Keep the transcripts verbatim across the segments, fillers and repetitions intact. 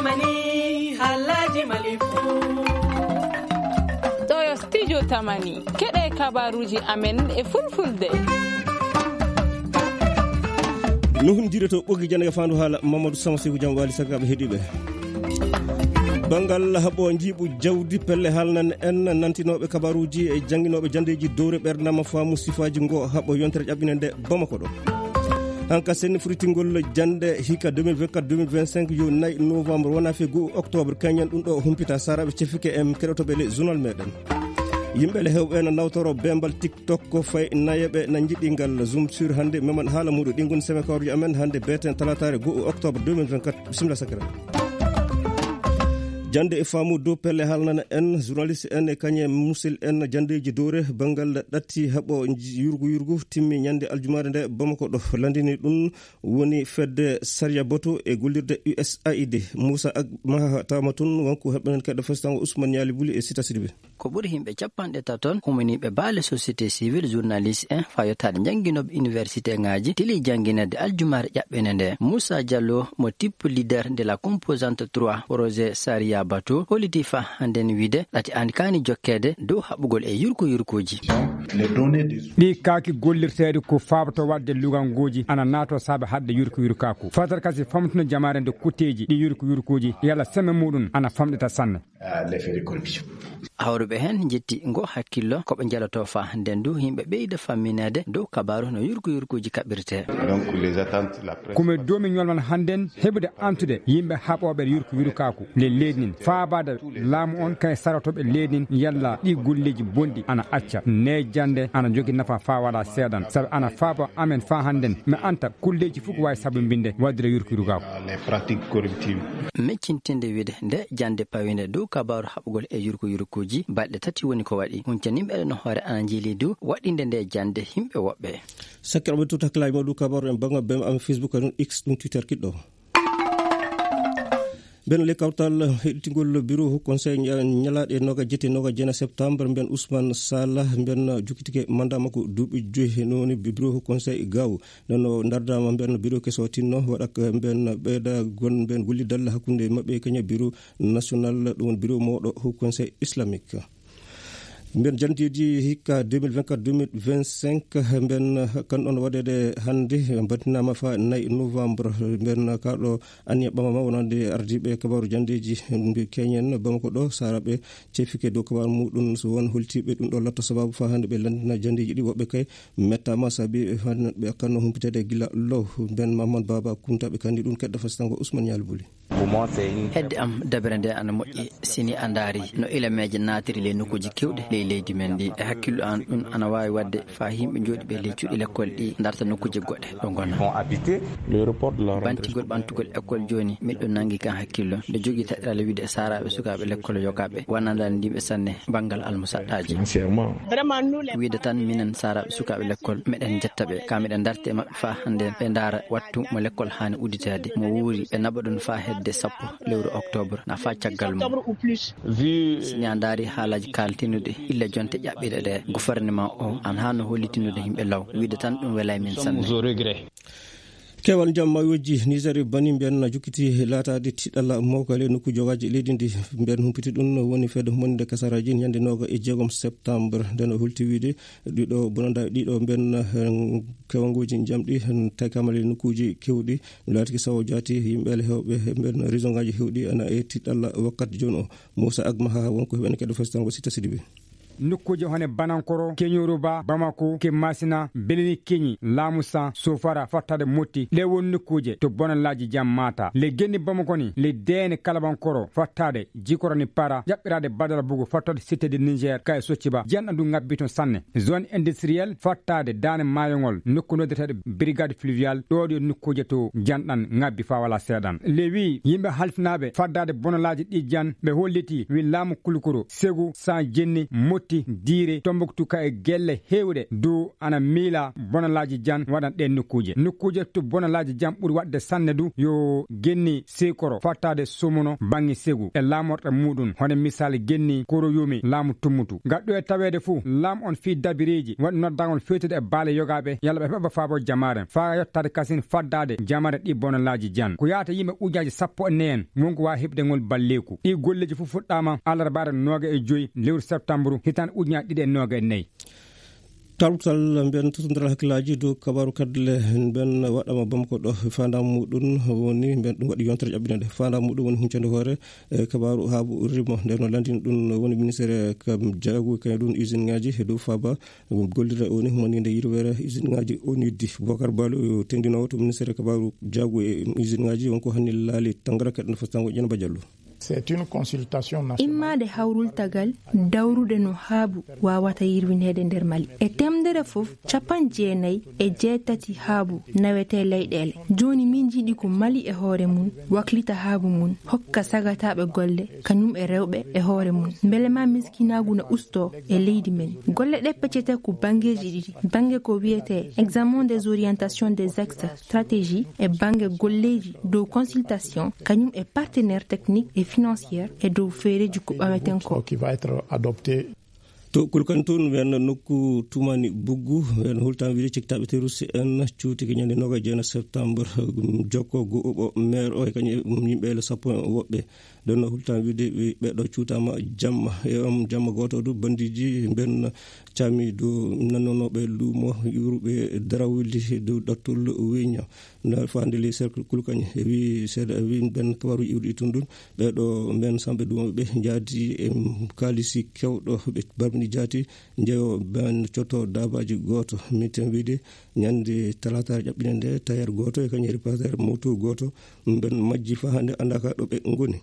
Mani, halaji malifu. Ɗo yo studio Tamani. Keɗe kabaruji amen e fulfulde. Nuhundire to ɓogi jannde fandu haala Mamadou Sama Seku Jam Wali Sagaɓe heɗiɓe. Bangal haɓo jiiɓu jawdi pelle haalnan en nantinoɓe kabaruji e jannginooɓe janndeeji dowre ɓernama faamu sifaaji ngo haɓo yontere ƴaɓɓine nde Bamako ɗo. Hanka senni furitingol jannde hika deux mille vingt-quatre deux mille vingt-cinq yo nayi novembre wona fe goo octobre kañen ɗum ɗo humpita saraɓe cefike en keɗotoɓe le journal meɗen. Yimɓe le hewɓe na nawtoro bembal TikTok ko fay nayeɓe na jiɗi ngal zoom sur hannde meman haala muɗo ɗi ngoni semekawruji amen hannde beten talatare goo octobre deux mille vingt-quatre. Bisimilla sakira. Jannde e faamu dow pelle haalnana en journaliste en e kañe musil en janndeeji dowre banngal ɗatti haɓo yurgu yurgu timmi ñannde aljumaare nde Bamako ɗo. Landini ɗum woni fedde sariya bato e gollirde U S A I D. Moussa Ag Maha tawama toon wonko heɓɓenen keɗɗo festango Ousmane Ñaali Buli e Sita Sidibe. Ko ɓuri yimɓe capanɗe tato on humaniiɓe baale société civile, journaliste en, faa yottaade njannginooɓe université ŋaaji, tili jannginirde aljumaare ƴaɓɓende nde. Moussa Diallo, mo type leader de la composante trois, projet Saria Bato, holliti faa hannden wiide ɗati an kaani jokkeede dow haɓugol e yurko yurkooji. Ɗi kaaki gollirteeɗi ko faabato waɗde luganguuji ana naato saabe haɗde yurko yurkaaku. Fatar kasi famtuno jamaare nde kutteeji ɗi yurko yurkooji yalla semme muɗum ana famɗita sanne. Ah, les faits de corruption. Hawruɓe heen njetti ngo hakkillo ko ɓe njaloto faa ndendu yimɓe ɓeyda fammineede dow kabaaru no yurko yurkuuji kaɓirtee. Donc, les attentes, la presse. Ko mi doomi ñolman hannden heɓude antude yimɓe haɓooɓe yurko yurkaaku le leydi nin faabaade laamu on kay sarotooɓe leydi nin yalla ɗi golleeji bonɗi ana acca ne jannde ana jogi nafa faa waɗa seeɗan sabu ana faaba amen faa hannden mi anta kulleeji fof ko waawi sabu mbinde waɗde yurko yurkaaku. Les pratiques correctives. Meccintinde wiide nde jannde pawinde dow kabaaru haɓugol e yurko yurkuuji balɗe tati woni ko waɗi. Huncaniiɓe no hoore ana njiili dow waɗinde nde jannde yimɓe woɓɓe. Sakkiraaɓe tut hakkilaaji mawɗu kabaaru en bannga bem am Facebook en X ɗum Twitter kiɗɗo. Mben le kawtal heɗitingol bureau conseil ñalaaɗe noga jete noga jena septembre mben Ousmane Sala mben jukitike manda makko duuɓi joyi he noni bureau conseil gaw. Nono dardama mben bureau keso tinno waɗa mben ɓeyda gon mben golli dalla hakkunde maɓɓe kenya bureau national ɗum woni bureau mawɗo haut conseil islamique. Mben janteji hikka deux mille vingt-quatre deux mille vingt-cinq mben kan ɗon waɗede hannde mbatinama fa nayi novembre mben kaɗo anniya ɓamama wonande ardiɓe kabaru jandeji mbe keñen bamako ɗo saraɓe cefike dow kabaru muɗum so won holtiɓe ɗum ɗo latta sababu fa hannde ɓe landina jandeji ɗi woɓɓe kay mettama saabi hannde ɓe akkanno humpitede gila low. Mben mamman baba kuntaɓe kandi ɗum keɗɗo fastango Ousmane Yalbuli. Hedde am dabere nde ana moƴƴi sini a ndaari no ilameeje naatiri ley nokkuuji keewɗi ley leydi men ndi e hakkillo an ɗum ana waawi waɗde faa yimɓe jooɗiiɓe ley cuuɗi lekkol ɗi ndarta nokkuuje goɗɗe ɗo ngona. Bantugol ɓantugol ekkol jooni miɗo nangi kan hakkillo nde jogii taƴirale wiide saaraaɓe sukaaɓe lekkol yogaaɓe wonandaani ndimɓe sanne banngal almusaɗɗaaji. Wiide tan minen saaraaɓe sukaaɓe lekkol meɗen njetta ɓe ka meɗen ndarti e maɓɓe faa hannde ɓe ndaara wattu mo lekkol haani udditeede mo wuuri ɓe naɓa ɗum faa hedde sappo lewru octobre na faa caggal mum. Si ni a ndaari haalaaji kaaltinuɗi illa jonte ƴaɓɓiɗe ɗe gouvernement o an haa no hollitinnude yimɓe law wiide tan ɗum welay min sanne. Kewal jam mayoji Niger e Bani mbiyan na jukkiti laataade tiɗalla mawka le nokku jogaaji leydi ndi mbiyan humpiti ɗum woni fedde humaninde kasaraji ñande noga e jeegom septembre nden o hulti wiide ɗiɗo bonanda ɗiɗo mbiyan kewanguji jamɗi takamale nokkuji kewɗi no laatiki sawo jaati yimɓe ale hewɓe mbiyan région ngaji hewɗi ana e tiɗalla wakkati joni o. Moussa Agma ha wonko heɓani keɗo festango Sita Sidibe. Nokkuuje hone Banankoro, Keñoruba, Bamako, Kemasina, Beleni Keñi, Lamusa, Sofara, fattade Motti, ɗe won nokkuuje to bonalaaji jam mata. Le Genni Bamako ni, le Deene Kalabankoro, fattade Jikorani Para, ƴaɓɓiraade Badara Bugu, fattade Cité de Niger, kay Socciba, janɗan du ŋabbi toon sanne. Zone industrielle, fattade Daane Maayongol, nokku noddeteeɗo Brigade Fluviale, ɗo ɗo nokkuuje to janɗan ŋabbi faa wala seeɗan. Le wi yimɓe halfinaaɓe faddade bonalaaji ɗi jan, ɓe holliti wi laamu Kulukuro, Segu, San Jenni, Motti, watti diire Tombuktu ka e gelle heewɗe du ana miila bonalaaji jan waɗan ɗeen nokkuuje. Nokkuuje to bonalaaji jan ɓuri waɗde sanne du yo genni seekoro fattaade somono baŋŋe segu e laamorɗe muuɗum, hono misaali genni koroyumi laamu tummutu. Gaɗɗo e taweede fuu, laam on fii dabireeji waɗi noddagol feetude e baale yogaaɓe yalla ɓe heɓa faabo jamaare faa yottaade kasin faddaade jamaare ɗi bonalaaji jan. Ko yaata yimɓe ujaaji sappo e nayi en wonko waa heɓde ngol balleeku. Ɗi golleeji fof fuɗɗaama alarbaare nooga e joy lewru septambru hitaande ujunaaji ɗiɗi e nooga e nayi. Tawtal mben totondiral hakkillaaji dow kabaaru kaddule mben waɗama Bamako ɗo. Faandamu muɗum woni mben ɗum waɗi yontere ƴaɓɓinande. Faandamu muɗum woni huncande hoore e kabaaru haabu rimo. Nden no landini ɗum woni ministere kam jaagu kañum ɗum usine ngaji e dow faaba gollira oni humaninde yirwere usine ngaji oniddi. Bokar Balo yo tengdinowo to ministere kabaaru jaagu e usine ngaji wonko hanni laali tangara kaɗen fastango ƴen bajallu. C'est une consultation nationale. Immaade hawrultagal dawrude no haabu waawata yirwineede nder Mali. E teemdere fof, capanɗe jeenayi e jeetati haabu nawetee leyɗeele. Jooni min njiɗi ko Mali e hoore mum waklita haabu mum, hokka sagataaɓe golle, kañum e rewɓe e hoore mum. Mbele ma miskinaagu na ustoo e leydi men. Golle ɗe peccete ko banngeeji ɗiɗi. Bannge ko wiyetee examen des orientations des axes stratégie e bannge golleeji dow consultation, kañum e partenaire technique et financière e dow feereeji ko ɓameten ko. Qui va être adopté. To Kulkan toon, wen nokku tumani buggu, wen hultan wiri ciktaaɓe terroriste en cuuti ko ñande noogaas e jeenayi septembre, jokko go oɓo maire o e kañum e yimɓe ele sappo e woɓɓe. Nden no hultan wiide ɓe, ɓeɗo cuutama jamma. E on jamma gooto du bandiiji mben caami dow nannonooɓe luumo, yuuruɓe darawli dow ɗattol weña. Nda faande le cercle Kulkañ, e wi seeɗa, e wi mben kabaru iwri tun ɗun. Ɓeɗo mben samɓe duumo ɓe njaadi e kaalisi kewɗo ɓe barbini jaati, njeyo mben cotto daabaaji gooto. Miten wiide ñande talaata ƴaɓɓinde nde, tailleur gooto e kañum e réparationnel moto gooto, mben majji faa hannde anndaaka ɗo ɓe ngoni.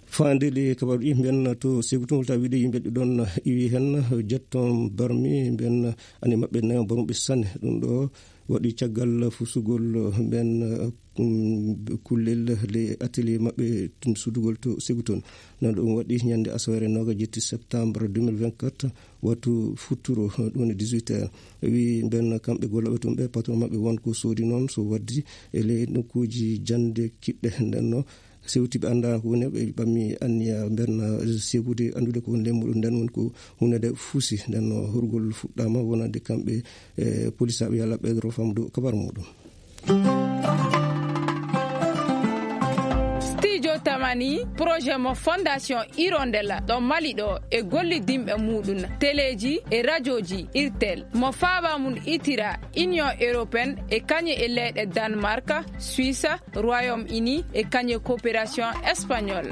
Faande le kabaru ɗi mben to Segu tun, wulta wiide yimɓe ɗiɗon iwi hen, jetton barmi mben ani maɓɓe nayon barmuɓe sanne. Ɗum ɗo waɗi caggal fusugol mben, um, kullel le atelier maɓɓe tun sudugol to Segu toon. Noon ɗum waɗi ñande asaweere noogaas e jetti septembre deux mille vingt-quatre, wattu futturo, ɗum woni dix-huit heures. Wi mben kamɓe gollooɓe tun ɓe, patron maɓɓe won ko soodi noon so waddi e le nokkuuji jannde kiɗɗe. Nden no sewti ɓe annda ko woni, ɓe ɓammi anniya mben segude anndude ko woni le muɗum. Nden woni ko hunde nde fusi. Nden no horgol fuɗɗaama wonande kamɓe e polisaaɓe. Yalla ɓeydoro famdu kabar muɗum. Studio Tamani, projet mo Fondation Hirondelle ɗo Mali ɗo e gollidinɓe muɗum, teleeji e rajooji Irtel, mo faaba mum itira Union Européenne e kañe e leyɗe Danemark, Suisse, Royaume-Uni e kañe coopération espagnole.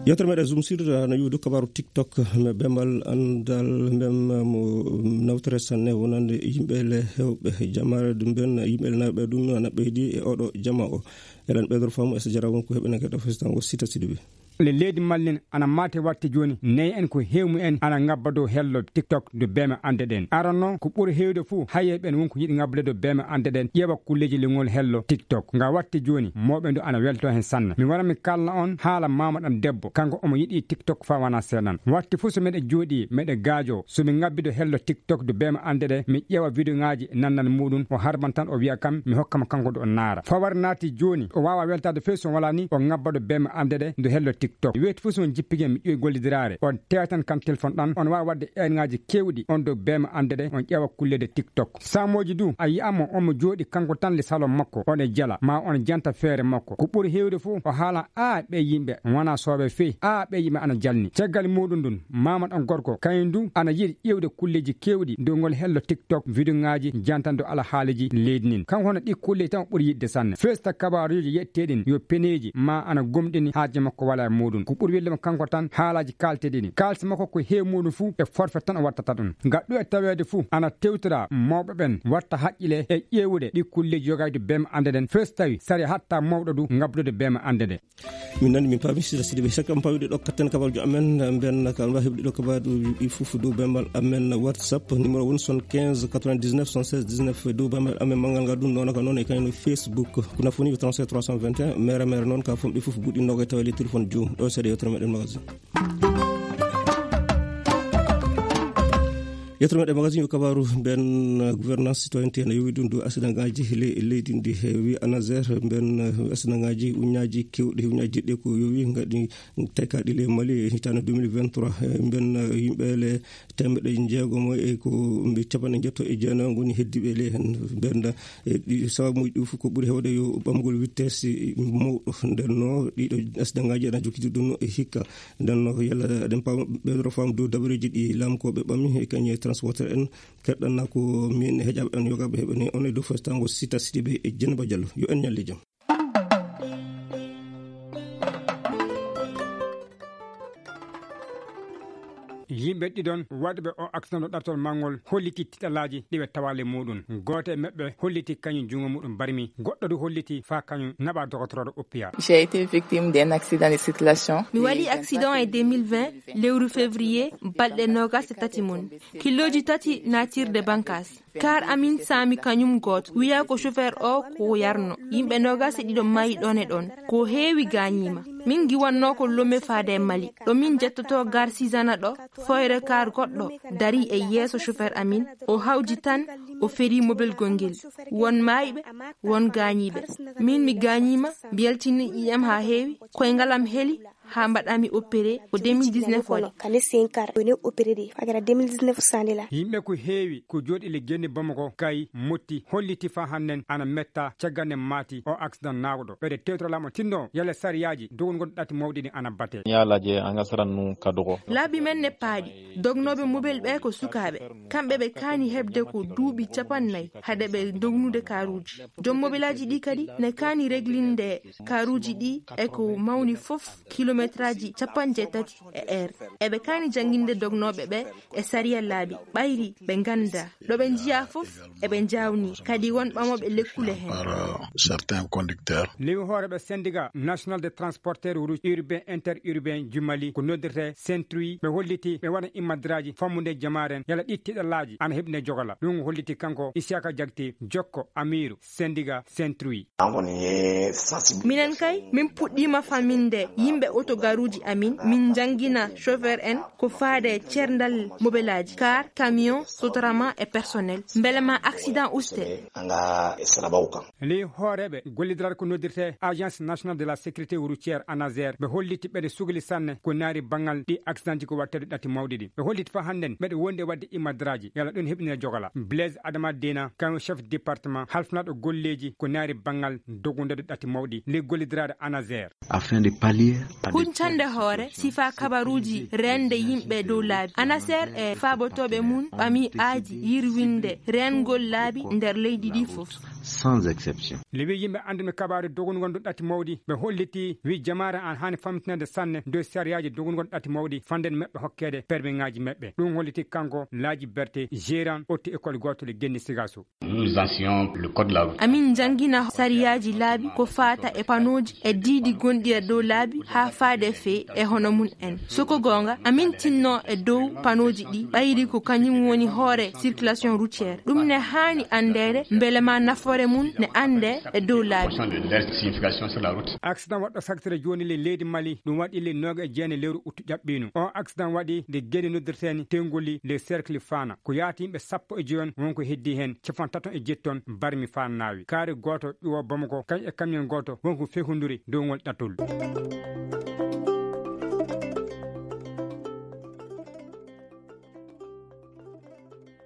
Yewtere meɗen Zoom Sud no yuudu kabaru TikTok, me bembal andal mbem mo nawtere sanne wonande yimɓe le hewɓe jamare ɗum ben yimɓe le nawɓe ɗum na ɓeydi e oɗo jama o. Eɗen ɓeydor faamu e so jara won ko heɓe nagata fesitan o sita siduɓe. Le leydi Mali en ana maate watti jooni, nayi en ko heew mu en ana ngabba dow hello TikTok do beema ande ɗen. Aranno ko ɓuri heewde fuu, haye ɓen won ko yiɗi ngabbude dow beema ande ɗen, ƴeewa kulleeji lingol hello TikTok. Nga watti jooni, mawɓe ndu ana welto hen sanne. Mi wara mi kalna on haala maama ɗam debbo, kanko omo yiɗi TikTok faa wana seeɗan. Watti fuu so meɗe jooɗi, meɗe gaajo, so mi ngabbi dow hello TikTok do beema ande ɗe, mi ƴeewa video ŋaaji nannal muɗum, o harban tan o wi'a kam, mi hokka mo kanko do o naara. Fawar naati jooni, o waawa weltaade fey so walaa ni, o ngabba do beema ande ɗe, do hello TikTok. Weeti fuu so on jippike mi ƴoy gollidiraare, on teetan kam telefon ɗan, on waawa waɗde eenŋaaji keewɗi on dow beema ande ɗe, on ƴeewa kulleede TikTok. Saamooji du, a yi'amo omo jooɗi kanko tan le salon makko, on e jala, ma on janta feere makko. Ko ɓuri heewde fuu, o haala, "Aa, ɓee yimɓe wana sooɓe fey. Aa, ɓee yimɓe ana jalni." Caggal muɗum ɗun, maama ɗan gorko, kañum du ana yiɗi ƴeewde kulleeji keewɗi dow ngol hello TikTok, video ŋaaji, jantan dow alhaaliiji leydi ndin. Kanko hono ɗi kulleeji tan o ɓuri yiɗde sanne. Festa kabaaruuji yetteeɗin yo peneeji ma ana gomɗini haaje makko wala e muɗum. Ko ɓuri welde mo kanko tan haalaaji kaalteeɗi ɗin. Kaalisi makko ko heew muɗum fuu e forfait tan o wattata ɗum. Gaɗɗo e taweede fuu ana tewtira mawɓe ɓen watta haqqile e ƴeewude ɗi kulleeji yogayde beema ande ɗen. Fes tawi sari hatta mawɗo du ngabdude beema ande ɗe. Min nani min paami sida sidi ɓe sakka on pawiɗo ɗo katten kabarujo amen mben ka on wawi heɓde ɗo kabaruji ɗi fof dow bembal amen WhatsApp. Numéro woni soixante-quinze quatre-vingt-dix-neuf soixante-seize dix-neuf dow bembal amen manngal ngal ɗum noon ka noon e kayno Facebook. Ko nafoni ko trente-sept trois cent vingt et un mere mere noon ka fomɓe fof buɗɗi noga e tawa le téléphone joom ɗo seeɗa yewtere meɗen magasin. Yettoro meɗen magasin yo kabaru ben gouvernance citoyenneté ene yowi ɗum dow accident ngaji le leydi ndi. Wi anaser ben accident ngaji uñaji kewɗi uñaji ɗiɗi ko yowi ngaɗi taykaɗi le mali e hitande deux mille vingt-trois. Ben yimɓe le temedde jeegomo e ko mbi capanɗe jeetto e jeenayo ngoni heddiɓe le hen. Ben sababuji ɗi fof ko ɓuri hewde yo ɓamgol vitesse mawɗo. Nden no ɗiɗo accident ngaji ena jokkiti ɗum e hikka. Nden no yalla eɗen paama ɓeɗo fam dow dabareji ɗi lamkoɓe ɓami e kañe transporteur en. Keɗɗanna ko min heƴaɓe en yogaɓe heɓe ni on e dow festango sita sidiɓe e jenaba diallo yo en ñalli jam. Yimɓe ɗiɗon waɗuɓe o accident ɗo ɗaɓtol manngol holliti tiɗalaaji ɗi ɓe tawaali muɗum. Gooto e maɓɓe holliti kañum junngo muɗum barmi, goɗɗo du holliti faa kañum naɓa dogotorooɗo oppiya. J'ai été victime d'un accident de circulation. Mi waɗi accident e deux mille vingt lewru février balɗe noogas e tati mum. Kilooji tati naatirde bankas. Kar amin saami kañum gooto. Wiya ko chauffeur o ko yarno. Yimɓe noogas e ɗiɗo maayi ɗon e ɗon. Ko heewi gaañiima. Min ngiwanno ko Lome faade e Mali. Ɗo min njettoto gar Sizana ɗo, fooyre kar goɗɗo darii e yeeso chauffeur amin. O hawji tan, o ferii mobel gongel. Won maayɓe, won gaañiiɓe. Min mi gaañiima, mbeltini ƴiiƴam haa heewi, koyngal am heli, haa mbaɗami opéré ko deux mille dix-neuf waɗi. Kane senkar, woni opéré de, fagara deux mille dix-neuf sandela. Yimɓe ko heewi, ko jooɗi le genni Bamako, kay, motti, holliti faa hannden ana metta, caggal nde maati, o accident naawɗo. Ɓeyde tewtoro laamu tinno, yalla sariyaaji, dogol ngon ɗatti mawɗi ɗi ana bate. Ñaalaje anga sarannu kadugo. Laabi men ne paaɗi, dognooɓe mobel ɓe ko sukaaɓe. Kamɓe ɓe kaani heɓde ko duuɓi capannayi, hade ɓe dognude karuuji. Joom mobelaaji ɗi kadi ne kaani reglinde karuuji ɗi e ko mawni fof kilometraaji capanɗe jeetati e heure. Eɓe kaani jannginde dognooɓe ɓe e sariya laabi, ɓayri ɓe ngannda. Ɗo ɓe njiya fof eɓe njawni, kadi won ɓamooɓe lekkule heen. Par, euh, certains conducteurs. Lewi hooreeɓe syndicat national de transporteur routier urbain interurbain jumali ko noddirte Saint-Louis, ɓe holliti ɓe waɗa immadraaji fammude jamaaren yala ɗi tiɗalaaji ana heɓine jogala. Ɗum holliti kanko Isiaka Jagte, jokko amiiru syndicat Saint-Louis. Minen kay, min puɗɗiima faminde yimɓe otogaruuji amin, min njanngina chauffeur en ko faade ceerndal mobelaaji, car, camion, sotrama e personnel. Mbele ma accident uste. Ley hooreeɓe gollidiral ko noddirte Agence Nationale de la Sécurité Routière, anaser, ɓe holliti ɓeɗe sugli sanne ko naari banngal ɗi accidentji ko waɗteeɗo ɗatti mawɗi ɗi. Ɓe holliti faa hannden ɓeɗe wondi e waɗde immadraaji yala ɗum heɓinira jogala. Blaise Adama Dena, kañum chef département halfnaɗo golleeji ko naari banngal dogundeɗo ɗatti mawɗi ley gollidiraade anaser. Afin de pallier à des... Huncande hoore sifa kabaruuji reende yimɓe dow laabi. Anaser e faabotooɓe mum ɓami aaji yirwinde reengol laabi nder leydi ɗi fof. Sans exception. Lewi yimɓe annduɓe kabaaru dogol ngondu ɗatti mawɗi, ɓe holliti wi jamaare an haani famtinande sanne dow sariyaaji dogol ngondu ɗatti mawɗi fanden maɓɓe hokkeede permiŋaaji maɓɓe. Ɗum holliti kanko Laaji Berte, gérant otti école gootol e Genni Sigaso. Nous enseignons le code de la route. Amin njangina sariyaaji laabi ko faata e panooji e diidi gonɗi e dow laabi haa faade fee e hono mum en. Soko goonga, amin tinno e dow panooji ɗi ɓayri ko kañum woni hoore circulation routière. Ɗum ne haani anndeede mbele ma nafoore mum ne annde e dow laabi. Signification de leur signification sur la route. Accident waɗɗo saktira jooni le leydi Mali, ɗum waɗi le nooga e jeenayi lewru uttu ƴaɓɓiino. O accident waɗi nde geni noddirteeni Tengoli le cercle Fana. Ko yaati yimɓe sappo e joyon won ko heddi heen capantato e jetton barmi faa naawi. Kaari gooto ƴuwo Bamako, kañ e camion gooto won ko fehunduri dow ngol ɗattol.